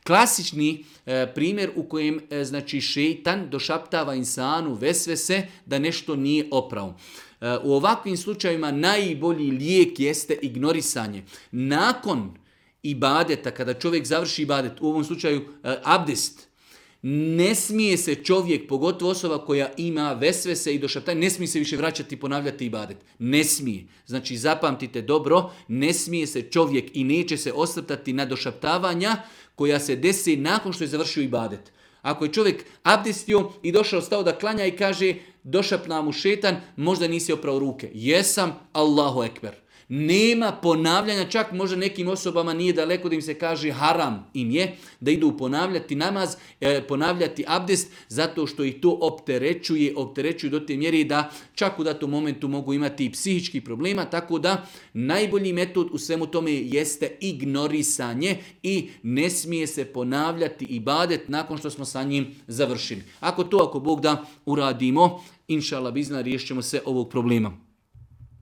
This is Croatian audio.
Klasični primjer u kojem znači šeitan došaptava insanu vesvese da nešto nije opravo. U ovakvim slučajevima najbolji lijek jeste ignorisanje. Nakon ibadeta, kada čovjek završi ibadet, u ovom slučaju abdest, ne smije se čovjek, pogotovo osoba koja ima vesvese i došaptanje, ne smije se više vraćati i ponavljati ibadet. Ne smije. Znači zapamtite dobro, ne smije se čovjek i neće se osvrtati na došaptavanja koja se desi nakon što je završio ibadet. Ako je čovjek abdestio i došao, stao da klanja i kaže došapna mu šetan, možda nisi oprao ruke. Jesam, Allahu ekber. Nema ponavljanja, čak možda nekim osobama nije daleko da im se kaže haram im je, da idu ponavljati namaz, ponavljati abdest, zato što ih to opterećuje do te mjere da čak u datom momentu mogu imati i psihičkih problema, tako da najbolji metod u svemu tome jeste ignorisanje i ne smije se ponavljati ibadet nakon što smo sa njim završili. Ako Bog da uradimo, inša Allah bizna, riješit ćemo se ovog problema.